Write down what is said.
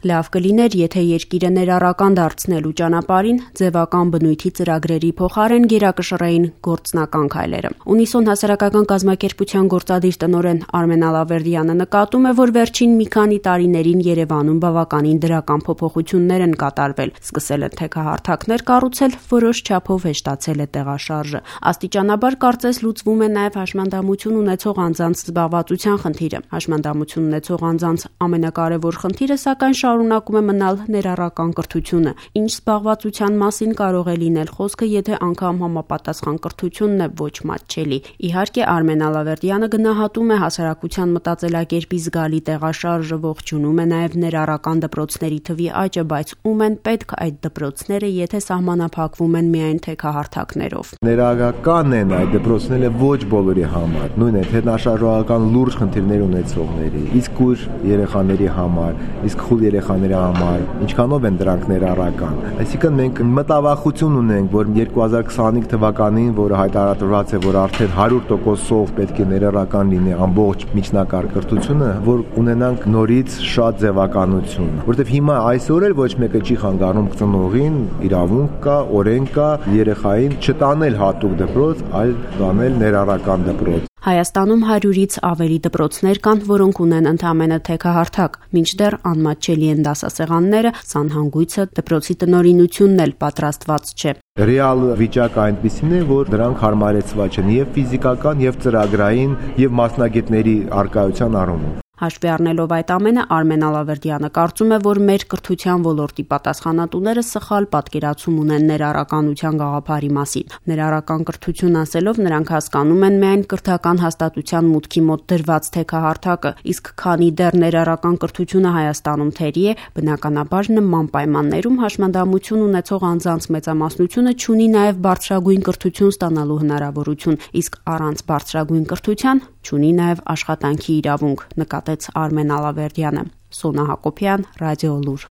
Լավ կլիներ, եթե երկիրը ներառական դարձնելու ճանապարհին ձևական բնույթի ծրագրերի փոխարեն գերակշռեին գործնական քայլերը։ Ունիսոն հասարակական կազմակերպության գործադիր տնօրեն Արմեն Ալավերդյանը նկատում է, որ վերջին մի քանի տարիներին Երևանում բավականին դրական փոփոխություններ են կատարվել, սկսել են թեքահարթակներ կառուցել, որոշ չափով հեշտացել է տեղաշարժը։ Աստիճանաբար կարծես լուծվում է նաև հաշմանդամություն ունեցող անձանց զբաղվածության խնդիրը։ Հաշմանդամություն ունեցող անձանց ամենակարևոր խնդիրը սակայն շարունակում է մնալ ներառական կրթությունը։ Ինչ զբաղվածության մասին կարող է լինել խոսքը, եթե անգամ համապատասխան կրթությունն է ոչ մատչելի։ Իհարկե, Արմեն Ալավերդյանը գնահատում է հասարակության մտածելակերպի զգալի տեղաշարժը, ողջունում է նաև ներառական դպրոցների թվի աճը, բայց ում են պետք այդ դպրոցները, եթե սահմանափակվում են միայն թեքահարթակներով։ Ներառական են այդ դպրոցները ոչ բոլորի համար, նույն է թե նաշարժողական լուրջ խնդիրներ ունեցողների, իսկ կույր երեխաների համար, իսկ խուլ երեխաների համար, ինչքանով են դրանք ներառական։ Այսինքն մենք մտավախություն ունենք, որ 2025 թվականին, որը հայտարարված է, որ արդեն 100%-ով պետք է ներառական լինի ամբողջ միջնակարգ կրթությունը, որ ունենանք նորից շատ ձևականություն, որովհետև հիմա այսօր էլ ոչ մեկը չի խանգարում ծնողին, իրավունք կա, օրենք կա երեխային չտանել հատուկ դպրոց, այլ տանել ներառական դպրոց։ Հայաստանում 100-ից ավելի դպրոցներ կան, որոնք ունեն ընդամենը թեքահարթակ, մինչդեռ անմատչելի են դասասեղանները, սանհանգույցը, դպրոցի տնօրինությունն էլ պատրաստված չէ։ Ռեալ վիճակը այնպիսին է, որ դրանք հարմարեցված չեն եւ ֆիզիկական, եւ ծրագրային, եւ մասնագետների առկայության առումով։ Հաշվի առնելով այդ ամենը, Արմեն Ալավերդյանը կարծում է, որ մեր կրթության ոլորտի պատասխանատուները սխալ պատկերացում ունեն ներառականության գաղափարի մասին։ Ներառական կրթություն ասելով նրանք հասկանում են միայն կրթական հաստատության մուտքի մոտ դրված թեքահարթակը, իսկ քանի դեռ ներառական կրթությունը Հայաստանում թերի է, բնականաբար նման պայմաններում հաշմանդամություն ունեցող անձանց մեծամասնությունը չունի նաև բարձրագույն կրթություն ստանալու հնարավորություն, իսկ առանց բարձրագույն կրթության չունի նաև աշխատանքի իրավունք, նկատեց Արմեն Ալավերդյանը։ Սոնա Հակոբյան, Ռադիո Լուր։